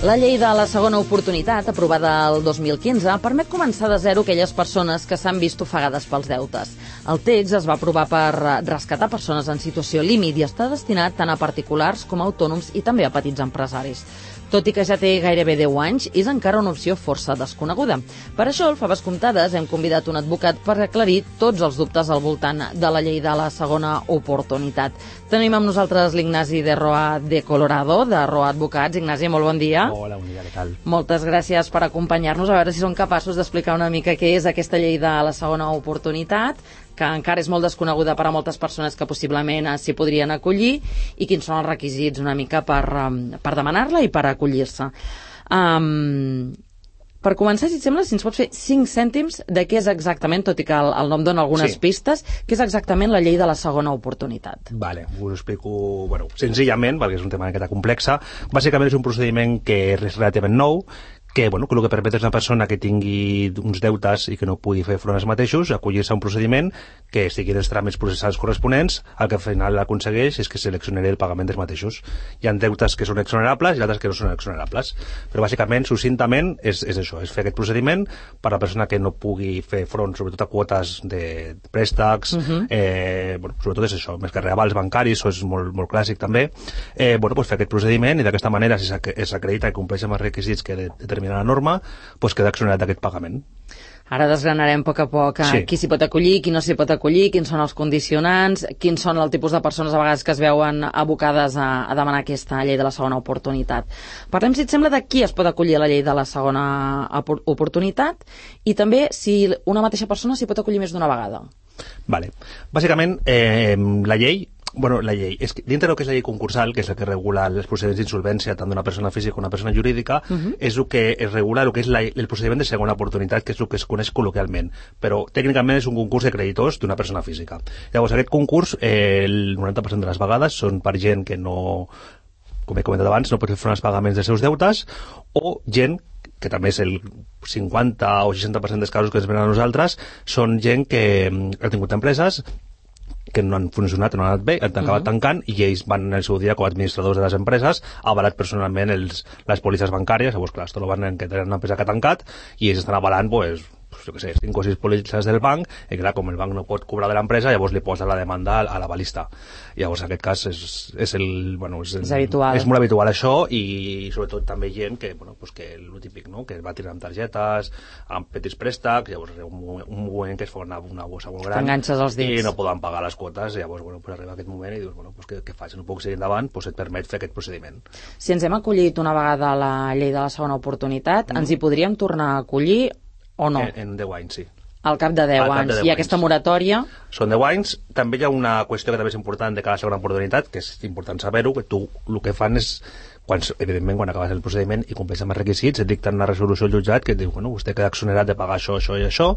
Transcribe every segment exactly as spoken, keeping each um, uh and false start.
La llei de la segona oportunitat, aprovada el dos mil quinze, permet començar de zero aquelles persones que s'han vist ofegades pels deutes. El text es va aprovar per rescatar persones en situació límit i està destinat tant a particulars com a autònoms i també a petits empresaris. Tot i que ja té gairebé deu anys, és encara una opció força desconeguda. Per això, al Faves Comptades, hem convidat un advocat per aclarir tots els dubtes al voltant de la llei de la segona oportunitat. Tenim amb nosaltres l'Ignasi de Roa de Colorado, de Roa Advocats. Ignasi, molt bon dia. Hola, bon dia, què tal? Moltes gràcies per acompanyar-nos, a veure si som capaços d'explicar una mica què és aquesta llei de la segona oportunitat, que encara és molt desconeguda per a moltes persones que possiblement s'hi podrien acollir, i quins són els requisits una mica per, per demanar-la i per acollir-se. Um, per començar, si et sembla, si ens pots fer cinc cèntims de què és exactament, tot i que el, el nom dona algunes sí. pistes, què és exactament la llei de la segona oportunitat. Vale, us ho explico bueno, senzillament, perquè és un tema una miqueta complexa. Bàsicament és un procediment que és relativament nou, que, bueno, que el que permet és una persona que tingui uns deutes i que no pugui fer front als mateixos, acollir-se a un procediment que sigui dels tràmits processals corresponents, el que al final aconsegueix és que seleccionaré el pagament dels mateixos. Hi ha deutes que són exonerables i altres que no són exonerables. Però bàsicament, succintament, és, és això, és fer aquest procediment per a la persona que no pugui fer front, sobretot a quotes de préstecs, uh-huh. eh, bueno, sobretot és això, més que reavals bancaris, això és molt, molt clàssic també, eh, bueno, pues fer aquest procediment i d'aquesta manera, si s'acredita i compleix amb els requisits que determina la norma, pues queda exonerat d'aquest pagament. Ara desgranarem a poc a poc sí. qui s'hi pot acollir, qui no s'hi pot acollir, quins són els condicionants, quins són el tipus de persones a vegades que es veuen abocades a, a demanar aquesta llei de la segona oportunitat. Parlem, si et sembla, de qui es pot acollir a la llei de la segona oportunitat i també si una mateixa persona s'hi pot acollir més d'una vegada. Vale. Bàsicament, eh, la llei Bueno, la llei, és que dintre del que és la llei concursal, que és la que regula els procediments d'insolvència tant d'una persona física com d'una persona jurídica, uh-huh. és el que es regula el que és la, el procediment de segona oportunitat, que és el que es coneix col·loquialment, però tècnicament és un concurs de creditors d'una persona física. Llavors, aquest concurs, eh, el noranta per cent de les vegades són per gent que no, com he comentat abans, no pot fer front als pagaments dels seus deutes, o gent que també és el cinquanta o seixanta per cent dels casos que ens venen a nosaltres, són gent que ha tingut empreses que no han funcionat, no han anat bé, han acabat uh-huh. tancant, i ells van en el seu dia com a administradors de les empreses avalat personalment els, les pòlisses bancàries. Llavors, clar, esto lo van en que tenen una empresa que ha tancat i ells estan avalant, pues, pues jo què sé, cinc o sis pòlisses del banc, i clar, com el banc no pot cobrar de l'empresa, llavors li posa la demanda a la balista. Llavors, en aquest cas és, és el, bueno, és, el, és habitual. És molt habitual això, i sobretot també gent que, bueno, pues que el típic, no?, que va tirar amb targetes, amb petits préstecs, llavors un, un moment que es fa una, una bossa molt gran i no poden pagar les quotes, llavors, bueno, pues arriba aquest moment i dius, bueno, pues què, què faig? No puc seguir endavant, pues et permet fer aquest procediment. Si ens hem acollit una vegada a la llei de la segona oportunitat, mm. ens hi podríem tornar a acollir o no? En, en deu anys, sí. Al cap de deu anys. I aquesta moratòria? Són deu anys. També hi ha una qüestió que també és important de cada segona oportunitat, que és important saber-ho, que tu el que fan és, quan, evidentment, quan acabes el procediment i compleixes amb els requisits, et dicten una resolució al jutjat que et diu, bueno, vostè queda exonerat de pagar això, això i això,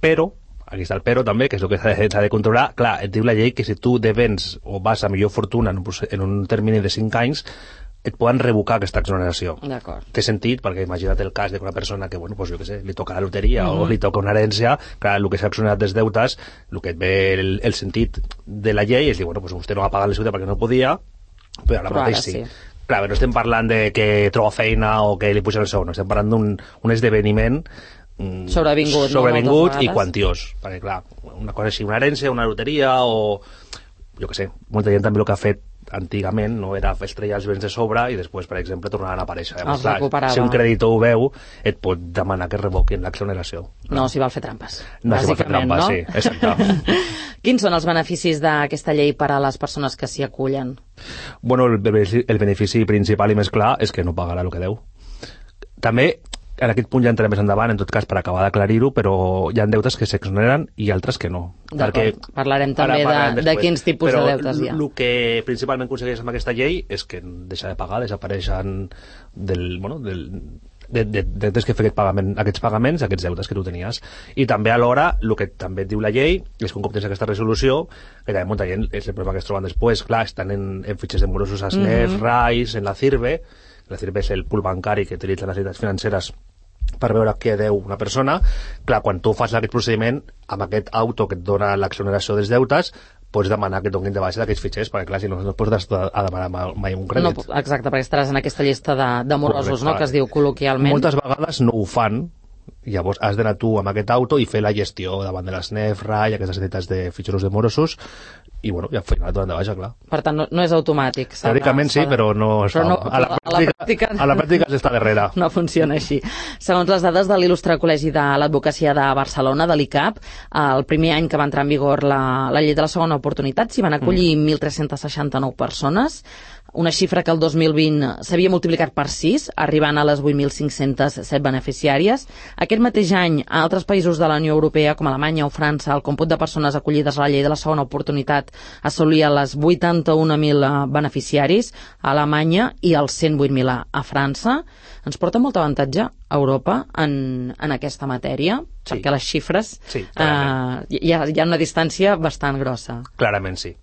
però, aquí està el però també, que és el que s'ha de, de controlar, clar, et diu la llei que si tu devens o vas a millor fortuna en un, en un termini de cinc anys, et poden revocar aquesta exoneració. D'acord. Té sentit, perquè imagina't el cas d'una persona que, bueno, pues jo què sé, li toca la loteria mm-hmm. o li toca una herència, clar, el que s'ha exonerat dels deutes, el que et ve el, el sentit de la llei és dir, bueno, pues vostè no va pagar la ciutat perquè no podia, però ara però mateix ara sí. sí. Clar, però no estem parlant de que troba feina o que li pugen el sou, no estem parlant d'un un esdeveniment sobrevingut, sobrevingut no? i quantiós, perquè clar, una cosa així, una herència, una loteria o jo què sé, molta gent també el que ha fet antigament no era estrellar els béns de sobre i després, per exemple, tornaran a aparèixer. Els recuperava. Si un creditor ho veu, et pot demanar que revoquin l'exoneració. No, no s'hi val fer trampes. No s'hi val fer trampes, no? Sí, exacte. Quins són els beneficis d'aquesta llei per a les persones que s'hi acullen? Bueno, el, el benefici principal i més clar és que no pagarà el que deu. També, en aquest punt ja entrarem més endavant, en tot cas per acabar d'aclarir-ho, però hi ha deutes que s'exoneren i altres que no. Perquè parlarem també de, de quins tipus però de deutes hi ha. El que principalment aconsegueix amb aquesta llei és que deixa de pagar, desapareixen del, bueno, del, de, de, de, des que fer aquest pagament, aquests pagaments, aquests deutes que tu tenies. I també alhora, el que també et diu la llei és que un cop tens aquesta resolució, que també molta gent és el problema que es troben després, clar, estan en, en fitxers de morosos a S N E F, mm-hmm. R A I S, en la CIRBE. La CIRBE és el pool bancari que utilitzen les entitats financeres per veure què deu una persona. Clar, quan tu fas aquest procediment, amb aquest auto que et dona l'exoneració dels deutes, pots demanar que et donin de baixa d'aquests fitxers, perquè clar, si no, no et pots estar a demanar mai un crèdit. No, exacte, perquè estaràs en aquesta llista de, de morosos, no?, que es diu col·loquialment. Moltes vegades no ho fan, llavors has d'anar tu amb aquest auto i fer la gestió davant de les N E F, R A I, aquestes entitats de fitxeros de morosos, i bueno, i al final et donen de baixa, clar. Per tant, no, no és automàtic. Teòricament sí, però no es però fa. no, a, la pràctica, a, la pràctica, a la pràctica s'està darrere. No funciona així. Segons les dades de l'il·lustre Col·legi de l'Advocacia de Barcelona, de l'I C A P, el primer any que va entrar en vigor la, la llei de la segona oportunitat s'hi van acollir mm. mil tres-cents seixanta-nou persones, una xifra que el dos mil vint s'havia multiplicat per sis, arribant a les vuit mil cinc-cents set beneficiàries. Aquest mateix any, a altres països de la Unió Europea, com Alemanya o França, el còmput de persones acollides a la llei de la segona oportunitat assolia les vuitanta-un mil beneficiaris a Alemanya i els cent vuit mil a, a França. Ens porta molt avantatge a Europa en, en aquesta matèria, sí. perquè les xifres sí, eh, hi, ha, hi ha una distància bastant grossa. Clarament sí.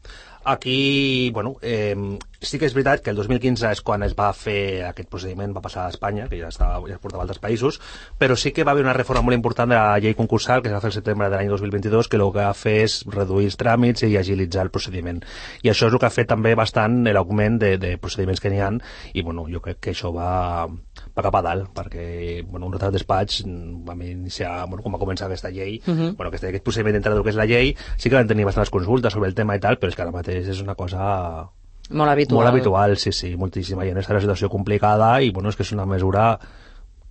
Aquí, bueno, eh, sí que és veritat que el dos mil quinze és quan es va fer aquest procediment, va passar a Espanya, que ja, estava, ja es portava a altres països, però sí que va haver una reforma molt important de la llei concursal que es va fer el setembre de l'any dos mil vint-i-dos, que el que va fer és reduir els tràmits i agilitzar el procediment. I això és el que ha fet també bastant l'augment de, de procediments que n'hi ha, i bueno, jo crec que això va, va cap a dalt, perquè bueno, un altre despatx vam iniciar, bueno, quan va començar aquesta llei, uh -huh. bueno, aquest, aquest procediment dintre del que és la llei, sí que van tenir bastantes consultes sobre el tema i tal, però és que ara mateix és una cosa molt habitual. Molt habitual, sí, sí, moltíssima gent està en una situació complicada i, bueno, és que és una mesura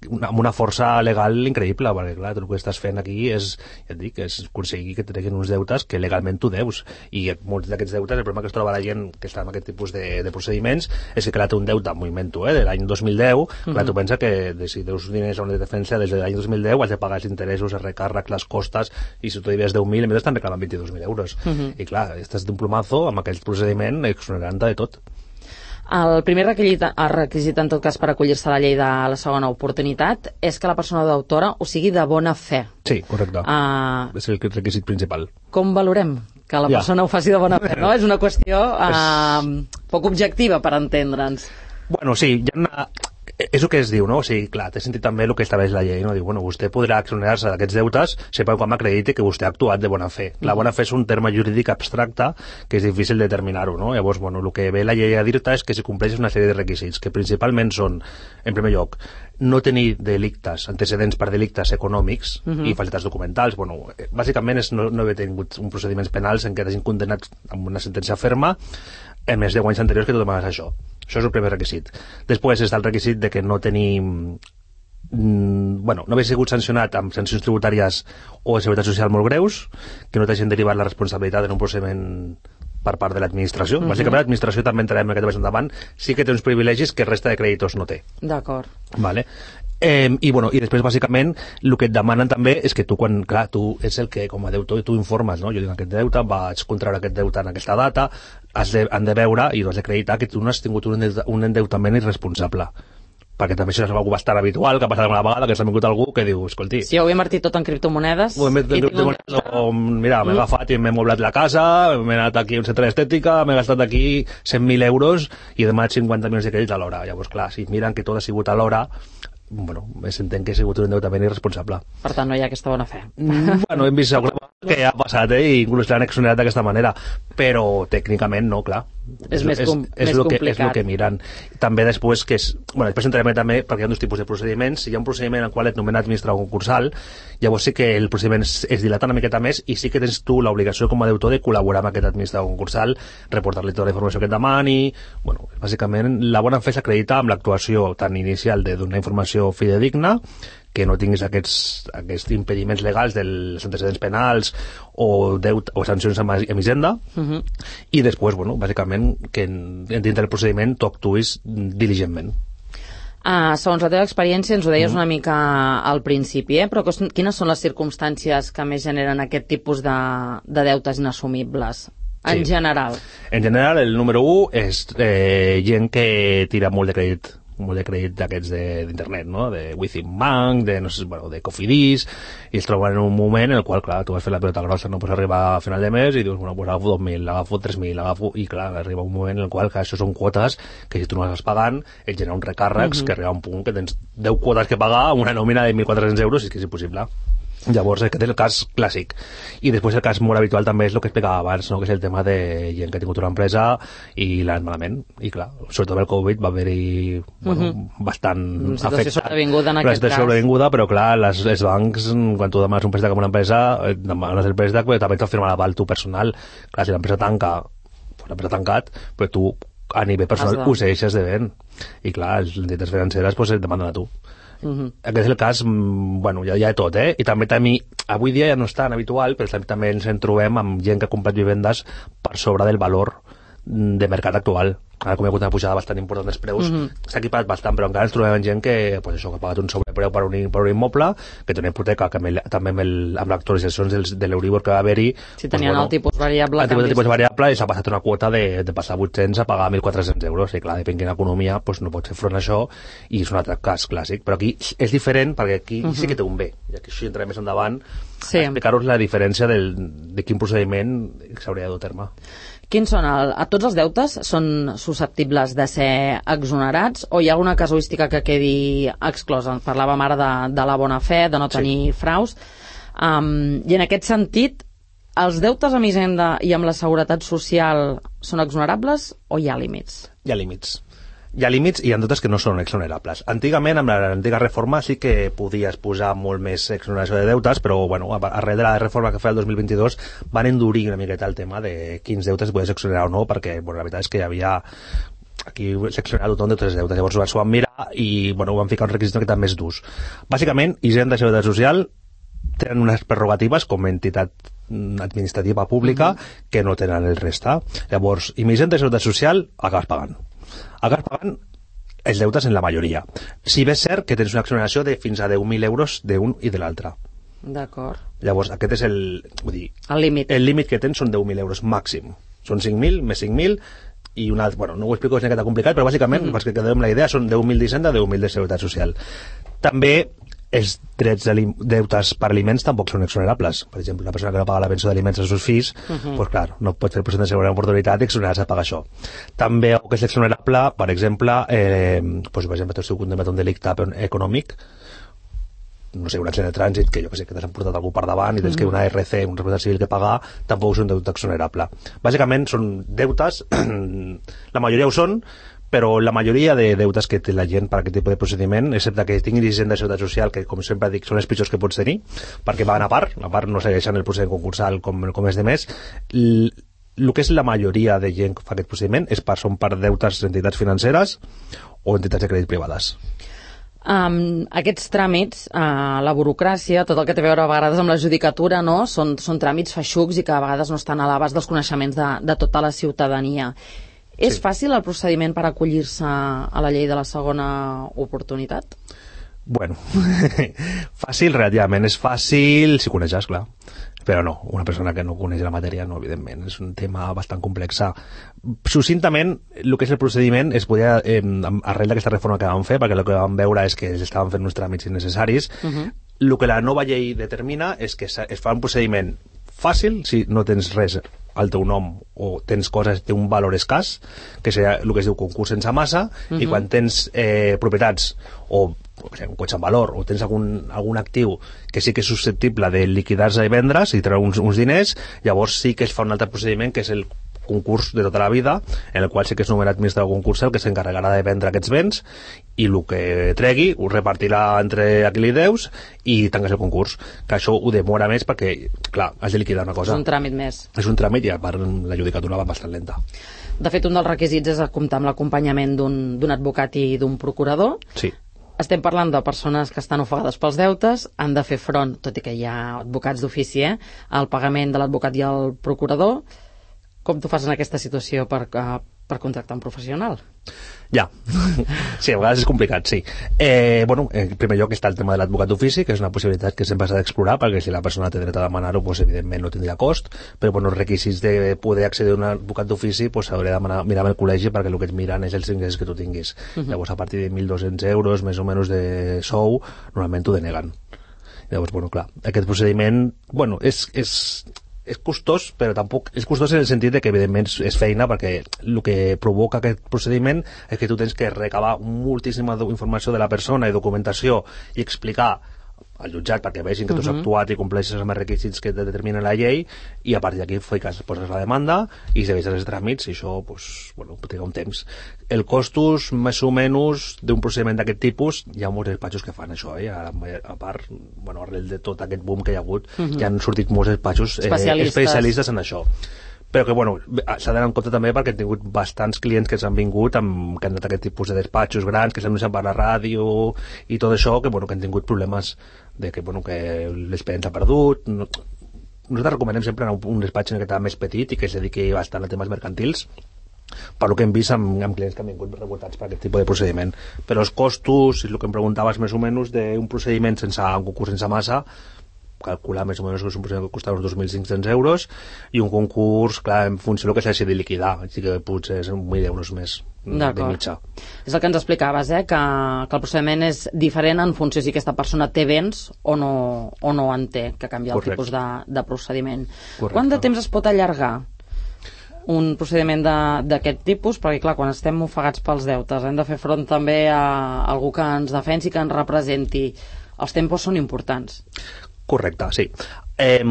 una, amb una força legal increïble, perquè, clar, tu el que estàs fent aquí és, ja et dic, és aconseguir que treguin uns deutes que legalment tu deus, i molts d'aquests deutes, el problema que es troba la gent que està en aquest tipus de, de procediments és que, clar, té un deute, movimento, eh, de l'any dos mil deu, uh-huh. clar, tu pensa que de, si deus diners a una defensa des de l'any dos mil deu has de pagar els interessos, els recàrrecs, les costes, i si tu devies deu mil, a més estan reclamant vint-i-dos mil euros. Uh-huh. I, clar, estàs d'un plomazo amb aquell procediment exonerant de tot. El primer requisit, el requisit, en tot cas, per acollir-se a la llei de la segona oportunitat és que la persona deutora ho sigui de bona fe. Sí, correcte. Uh, és el requisit principal. Com valorem que la persona ja. ho faci de bona fe, no? És una qüestió uh, poc objectiva, per entendre'ns. Bueno, sí, hi ha una... és el que es diu, no? O sigui, clar, té sentit també el que estableix la llei, no? Diu, bueno, vostè podrà exonerar-se d'aquests deutes sempre quan acrediti que vostè ha actuat de bona fe. La bona fe és un terme jurídic abstracte que és difícil determinar-ho, no? Llavors, bueno, el que ve la llei a dir-te és que si compleixes una sèrie de requisits, que principalment són, en primer lloc, no tenir delictes, antecedents per delictes econòmics uh-huh. i falsitats documentals. Bueno, bàsicament és no, no haver tingut un procediments penals en què t'hagin condemnat amb una sentència ferma en més de anys anteriors que tu demanes això. Això és el primer requisit. Després està el requisit de que no tenim... Mm, bueno, no haver sigut sancionat amb sancions tributàries o de seguretat social molt greus, que no t'hagin derivat la responsabilitat en un procediment per part de l'administració. Uh-huh. Bàsicament l'administració també entrarem en aquest més endavant, sí que té uns privilegis que resta de creditors no té. D'acord. Vale. Eh, i, bueno, i després bàsicament el que et demanen també és que tu quan, clar, tu és el que com a deutor tu informes, no? Jo tinc aquest deute, vaig contraure aquest deute en aquesta data, has de, han de veure i has d'acreditar que tu no has tingut un, un endeutament irresponsable, perquè també això és algo bastant habitual, que ha passat alguna vegada, que s'ha vingut algú que diu, escolti... Si ho he invertit tot en criptomonedes... Ho he invertit en criptomonedes, o, mira, m'he agafat i m'he moblat la casa, m'he anat aquí a un centre d'estètica, m'he gastat aquí cent mil euros i he demanat cinquanta milions de crèdits a l'hora. Llavors, clar, si miren que tot ha sigut a l'hora, bueno, s'entén que ha sigut un endeutament irresponsable. Per tant, no hi ha aquesta bona fe. Bueno, hem vist alguna cosa que ha passat, eh, i inclús l'han exonerat d'aquesta manera, però tècnicament no, clar. És, és més, com, és, és més que, complicat. És el que miren. També després, que és... Bueno, després entrarem també, perquè hi ha dos tipus de procediments. Si hi ha un procediment en el qual et nomena administrador concursal, llavors sí que el procediment es, es dilata una miqueta més i sí que tens tu l'obligació com a deutor de col·laborar amb aquest administrador concursal, reportar-li tota la informació que et demani... Bueno, bàsicament, la bona fe s'acredita amb l'actuació tan inicial de donar informació fidedigna, que no tinguis aquests, aquests impediments legals dels antecedents penals o, deut, o sancions amb Hisenda, uh-huh. i després, bueno, bàsicament, que dintre del procediment tu actuïs diligentment. Uh, segons la teva experiència, ens ho deies uh-huh. una mica al principi, eh? Però quines són les circumstàncies que més generen aquest tipus de, de deutes inassumibles? En sí. general. En general, el número u és eh, gent que tira molt de crèdit molt de crèdit d'aquests d'internet, no? De Within Bank, de, no sé, bueno, de Cofidis, i es troben en un moment en el qual, clar, tu vas fer la pelota grossa, no pots arribar a final de mes i dius, bueno, pues agafo dos mil, agafo tres mil, agafo... I, clar, arriba un moment en el qual, clar, això són quotes que si tu no les vas pagant, et genera uns recàrrecs uh-huh. que arriba a un punt que tens deu quotes que pagar amb una nòmina de mil quatre-cents euros i és que és impossible. Llavors, aquest és el cas clàssic. I després el cas molt habitual també és el que explicava abans, no? Que és el tema de gent que ha tingut una empresa i l'ha anat malament. I clar, sobretot amb el Covid va haver-hi bueno, uh -huh. bastant una situació sobrevinguda en una aquest situació cas. sobrevinguda, però clar, les, els bancs, quan tu demanes un préstec amb una empresa, demanes el préstec, però també t'ha firmat l'aval tu personal. Clar, si l'empresa tanca, pues l'empresa ha tancat, però tu a nivell personal ho segueixes devent. I clar, les entitats financeres pues, et demanden a tu. Uh -huh. Aquest és el cas, bueno, ja, ja de tot, eh? I també, també avui dia ja no és tan habitual, però també ens en trobem amb gent que ha comprat vivendes per sobre del valor de mercat actual. Ara, com hi ha hagut una pujada bastant important dels preus, uh -huh. s'ha equiparat bastant, però encara ens trobem amb gent que, pues això, que ha pagat un sobrepreu per un, per un immoble, que té una hipoteca, que amb el, també amb, el, amb les actualitzacions de l'Euribor que va haver-hi... Si tenien pues, bueno, el tipus variable... El tipus, el tipus variable i s'ha passat una quota de, de passar vuit-cents a pagar mil quatre-cents euros. I clar, depèn de quina economia, pues, no pots fer front a això, i és un altre cas clàssic. Però aquí és diferent, perquè aquí uh -huh. sí que té un bé. I aquí això entrarem més endavant sí. a explicar-vos la diferència del, de quin procediment s'hauria de dur a terme. Quins són? El, a tots els deutes són susceptibles de ser exonerats o hi ha alguna casuística que quedi exclosa? Parlàvem ara de, de la bona fe, de no tenir sí. fraus. Um, I en aquest sentit, els deutes amb Hisenda i amb la Seguretat Social són exonerables o hi ha límits? Hi ha límits. Hi ha límits i hi ha deutes que no són exonerables. Antigament, amb l'antiga reforma, sí que podies posar molt més exoneració de deutes, però bueno, arrel de la reforma que feia el dos mil vint-i-dos van endurir una miqueta el tema de quins deutes podies exonerar o no, perquè bueno, la veritat és que hi havia aquí seccionat tothom de tots els deutes. Llavors s'ho van mirar i bueno, van ficar un requisit que també és durs. Bàsicament, Hisenda i Seguretat Social tenen unes prerrogatives com a entitat administrativa pública uh -huh. que no tenen el resta. Llavors, i Hisenda i Seguretat Social acabes pagant. Acabes pagant els deutes en la majoria. Si bé és cert que tens una exoneració de fins a deu mil euros d'un i de l'altre. D'acord. Llavors, aquest és el... Vull dir, el límit. El límit que tens són deu mil euros màxim. Són cinc mil, més cinc mil, i una... Bueno, no ho explico, és una miqueta complicat, però bàsicament, mm. perquè quedem la idea, són deu mil d'Hisenda, deu mil de Seguretat Social. També els drets de deutes per aliments tampoc són exonerables. Per exemple, una persona que no paga la pensió d'aliments als seus fills, uh -huh. pues clar, no pot fer el procés de segona oportunitat i exonerar-se a pagar això. També el que és exonerable, per exemple, eh, pues, per exemple, tu esteu condemnat a un delicte econòmic, no sé, un accident de trànsit, que jo que sé, que t'has emportat algú per davant i tens que una R C, un responsable civil que pagar, tampoc és un deute exonerable. Bàsicament són deutes, la majoria ho són, però la majoria de deutes que té la gent per aquest tipus de procediment, excepte que tinguin Hisenda i Seguretat Social, que com sempre dic són els pitjors que pots tenir, perquè van a part, a part no segueixen el procediment concursal com, com és de més, el que és la majoria de gent que fa aquest procediment és per, són per deutes d'entitats financeres o entitats de crèdit privades. Um, aquests tràmits, uh, la burocràcia, tot el que té a veure a vegades amb la judicatura, no? són, són tràmits feixucs i que a vegades no estan a l'abast dels coneixements de, de tota la ciutadania. És sí. fàcil el procediment per acollir-se a la llei de la segona oportunitat? Bueno, fàcil relativament. És fàcil si coneixes, clar. Però no, una persona que no coneix la matèria, no, evidentment. És un tema bastant complex. Succintament, el que és el procediment es podia, eh, arrel d'aquesta reforma que vam fer, perquè el que vam veure és que estaven fent uns tràmits innecessaris, uh -huh. el que la nova llei determina és que es fa un procediment fàcil, si no tens res al teu nom o tens coses, té un valor escàs, que seria el que es diu concurs sense massa, uh -huh. i quan tens eh, propietats o un cotxe en valor o tens algun, algun actiu que sí que és susceptible de liquidar-se i vendre's i treure uns, uns diners, llavors sí que es fa un altre procediment que és el concurs de tota la vida, en el qual sí que és nomenat administrador concursal que s'encarregarà de vendre aquests béns i el que tregui ho repartirà entre a qui li deus i tanques el concurs, que això ho demora més perquè, clar, has de liquidar una cosa. És un tràmit més. És un tràmit i a part la judicatura va bastant lenta. De fet, un dels requisits és comptar amb l'acompanyament d'un advocat i d'un procurador. Sí. Estem parlant de persones que estan ofegades pels deutes, han de fer front, tot i que hi ha advocats d'ofici, eh, al pagament de l'advocat i el procurador. Com tu fas en aquesta situació per, uh, per contractar un professional? Ja, sí, a vegades és complicat, sí. Eh, bueno, en primer lloc està el tema de l'advocat d'ofici, que és una possibilitat que sempre s'ha d'explorar, perquè si la persona té dret a demanar-ho, pues, evidentment no tindria cost, però bueno, els requisits de poder accedir a un advocat d'ofici pues, s'hauria de demanar, mirar amb el col·legi, perquè el que et miren és els ingressos que tu tinguis. Uh -huh. Llavors, a partir de mil dos-cents euros, més o menys de sou, normalment t'ho deneguen. Llavors, bueno, clar, aquest procediment, bueno, és... és és costós, però tampoc és costós en el sentit de que evidentment és feina, perquè el que provoca aquest procediment és que tu tens que recabar moltíssima informació de la persona i documentació i explicar al jutjat perquè vegin que tu has uh -huh. actuat i compleixes amb els requisits que determina la llei, i a partir d'aquí fiques, poses la demanda i segueixes els tràmits, i això pues, bueno, triga un temps. El costos més o menys d'un procediment d'aquest tipus, hi ha molts despatxos que fan això, eh? a, a part, bueno, arrel de tot aquest boom que hi ha hagut, uh -huh. ja han sortit molts despatxos eh, especialistes. especialistes en això, però que bueno, s'ha d'anar en compte també perquè he tingut bastants clients que s'han vingut amb, que han anat aquest tipus de despatxos grans, que s'han per la ràdio i tot això, que bueno, que han tingut problemes de que, bueno, que l'expedient s'ha perdut. No, nosaltres recomanem sempre anar a un despatx en aquest més petit i que es dediqui bastant a temes mercantils, per lo que hem vist amb, amb clients que han vingut rebotats per aquest tipus de procediment. Però els costos, és el que em preguntaves més o menys, d'un procediment sense un concurs sense massa, calcular més o menys que és un procediment que costa uns dos mil cinc-cents euros, i un concurs, clar, en funció del que s'hagi de liquidar, així que potser és mil euros més de mitja. És el que ens explicaves, eh? que, que el procediment és diferent en funció si aquesta persona té béns o no, o no en té, que canvia el Correcte. tipus de, de procediment. Correcte. Quant de temps es pot allargar un procediment d'aquest tipus? Perquè clar, quan estem ofegats pels deutes hem de fer front també a algú que ens defensi, que ens representi. Els tempos són importants. Correcte, sí. Eh,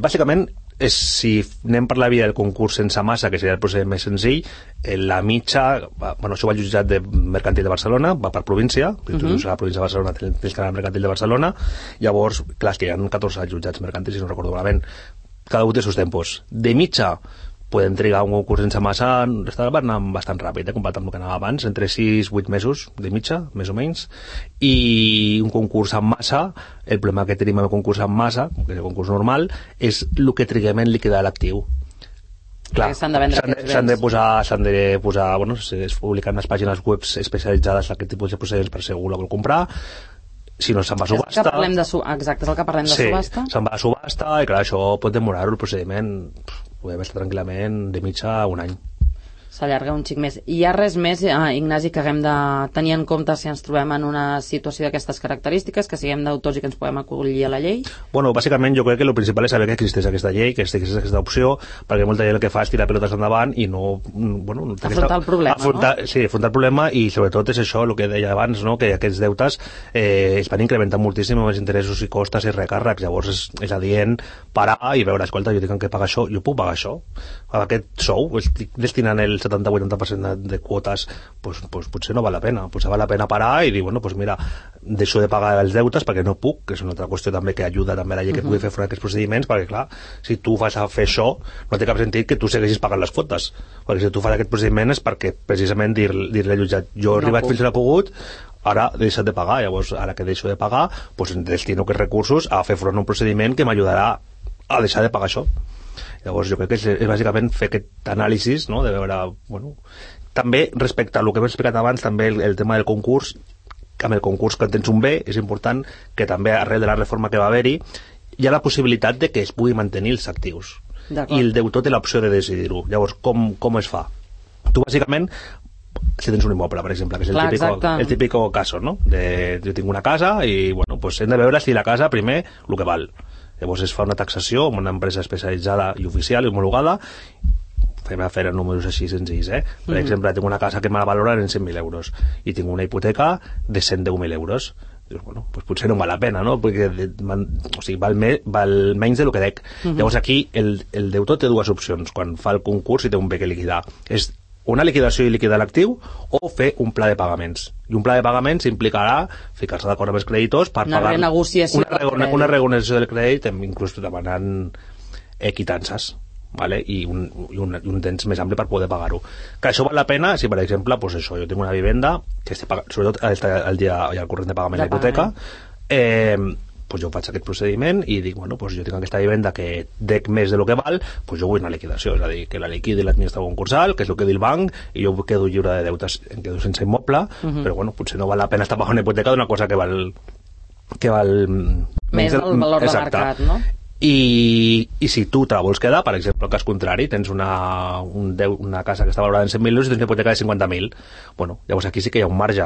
bàsicament, és, si anem per la via del concurs sense massa, que seria el procediment més senzill, eh, la mitja, bueno, això va al jutjat de mercantil de Barcelona, va per província, si tu dius a la província de Barcelona tens que anar al mercantil de Barcelona, llavors, clar, és que hi ha catorze jutjats mercantils, si no recordo malament, cada un té sus tempos. De mitja, podem trigar un concurs sense massa, estava anant bastant ràpid, eh, comparat amb el que anava abans, entre sis i vuit mesos de mitja, més o menys, i un concurs amb massa, el problema que tenim amb el concurs amb massa, que és el concurs normal, és el que triguem en liquidar l'actiu. Clar, s'han de vendre s'han de, s'han de posar, s'han de posar, bueno, es publiquen les pàgines web especialitzades en aquest tipus de procediments per si algú la vol comprar, si no se'n va a subhasta. És que parlem de su... Exacte, és el que parlem de sí, subhasta. se'n va a subhasta i clar, això pot demorar el procediment, podem estar tranquil·lament de mitja un any. S'allarga un xic més. I hi ha res més, eh, Ignasi, que haguem de tenir en compte si ens trobem en una situació d'aquestes característiques, que siguem d'autors i que ens podem acollir a la llei? Bueno, bàsicament jo crec que el principal és saber que existeix aquesta llei, que existeix aquesta opció, perquè molta gent el que fa és tirar pilotes endavant i no... Bueno, no afrontar aquesta, el problema, afrontar, no? Sí, afrontar el problema, i sobretot és això, el que deia abans, no? Que aquests deutes eh, es van incrementant moltíssim amb els interessos i costes i recàrrecs, llavors és, és adient parar i veure, escolta, jo tinc que pagar això, jo puc pagar això? Aquest sou, estic destinant el setanta a vuitanta per cent de, de quotes, pues, pues, potser no val la pena, potser val la pena parar i dir, bueno, pues mira, deixo de pagar els deutes perquè no puc, que és una altra qüestió també que ajuda també a la llei que uh -huh. pugui fer front a aquests procediments, perquè clar, si tu vas a fer això, no té cap sentit que tu segueixis pagant les quotes, perquè si tu fas aquest procediment és perquè precisament dir-li dir al jutjat, jo he no arribat puc. fins on he pogut, ara he deixat de pagar, llavors ara que deixo de pagar, pues destino aquests recursos a fer front a un procediment que m'ajudarà a deixar de pagar això. Llavors jo crec que és, és bàsicament fer aquest anàlisi, no? De veure, bueno, també respecte a el que hem explicat abans, també el, el tema del concurs, amb el concurs que tens un bé, és important que també arrel de la reforma que va haver-hi hi ha la possibilitat de que es pugui mantenir els actius i el deutor té l'opció de decidir-ho. Llavors com, com es fa? Tu bàsicament, si tens un immoble, per exemple, que és el, Clar, típico, el típico caso, no? De, jo tinc una casa i bueno, pues hem de veure si la casa primer el que val. Llavors es fa una taxació amb una empresa especialitzada i oficial i homologada, fem a fer números així senzills, eh? Per mm. exemple, tinc una casa que me la valoren en cent mil euros i tinc una hipoteca de cent deu mil euros. Dius, bueno, pues potser no val la pena, no? Perquè o sigui, val, me, val menys de lo que dec. Mm -hmm. Llavors aquí el, el deutor té dues opcions quan fa el concurs i té un bé que liquidar. És una liquidació i liquidar l'actiu o fer un pla de pagaments. I un pla de pagaments implicarà ficar-se d'acord amb els creditors per una pagar... Renegociació una renegociació. Una renegociació del crèdit, inclús demanant equitances, ¿vale? I, un, i, un, i un temps més ampli per poder pagar-ho. Que això val la pena si, per exemple, pues això, jo tinc una vivenda que estic pagant, sobretot està al dia al corrent de pagament de la hipoteca, eh, pues jo faig aquest procediment i dic, bueno, pues jo tinc aquesta vivenda que dec més de lo que val, pues jo vull una liquidació, és a dir, que la liquidi l'administrador concursal, que és el que diu el banc, i jo quedo lliure de deutes, em quedo sense immoble, uh -huh. però bueno, potser no val la pena estar pagant una hipoteca d'una cosa que val que val més del valor Exacte. de mercat, no? I, i si tu te la vols quedar, per exemple, el cas contrari, tens una, un deu, una casa que està valorada en cent mil euros i tens una hipoteca de cinquanta mil, bueno, llavors aquí sí que hi ha un marge.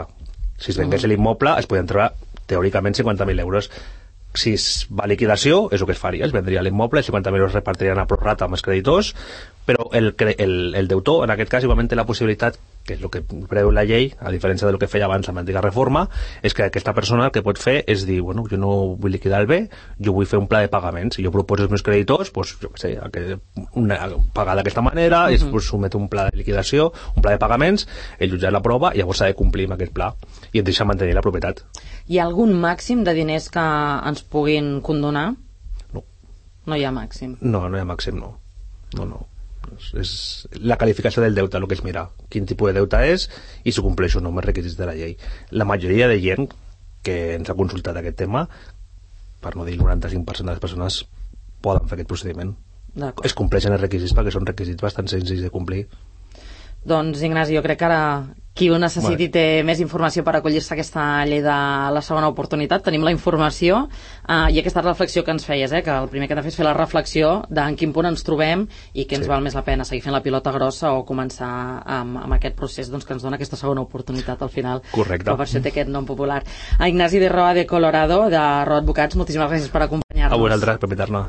Si es vengués uh -huh. l'immoble es podien treure teòricament cinquanta mil euros. si es va a liquidació, és el que es faria, es vendria l'immoble, els cinquanta mil euros es repartirien a prorrata amb els creditors, però el, el, el deutor, en aquest cas, igualment té la possibilitat, que és el que preveu la llei, a diferència del que feia abans amb l'antiga reforma, és que aquesta persona el que pot fer és dir, bueno, jo no vull liquidar el bé, jo vull fer un pla de pagaments, i jo proposo als meus creditors, pues, jo què sé, que una, pagar d'aquesta manera, uh -huh. es pues, somet un pla de liquidació, un pla de pagaments, el jutjat l'aprova, i llavors s'ha de complir amb aquest pla, i et deixa mantenir la propietat. Hi ha algun màxim de diners que ens puguin condonar? No. No hi ha màxim? No, no hi ha màxim, no. No, no. És la qualificació del deute el que es mira, quin tipus de deute és i si compleix o no amb els requisits de la llei. La majoria de gent que ens ha consultat aquest tema, per no dir el noranta-cinc per cent de les persones poden fer aquest procediment. Es compleixen els requisits perquè són requisits bastant senzills de complir. Doncs Ignasi, jo crec que ara qui ho necessiti té més informació per acollir-se a aquesta llei de la segona oportunitat. Tenim la informació eh, i aquesta reflexió que ens feies, eh, que el primer que hem de fer és fer la reflexió d'en quin punt ens trobem i què ens sí. val més la pena, seguir fent la pilota grossa o començar amb, amb aquest procés doncs, que ens dona aquesta segona oportunitat al final. Correcte. Però per això té aquest nom popular. A Ignasi de Roa de Colorado, de Roa Advocats, moltíssimes gràcies per acompanyar-nos. A vosaltres per invitar-me.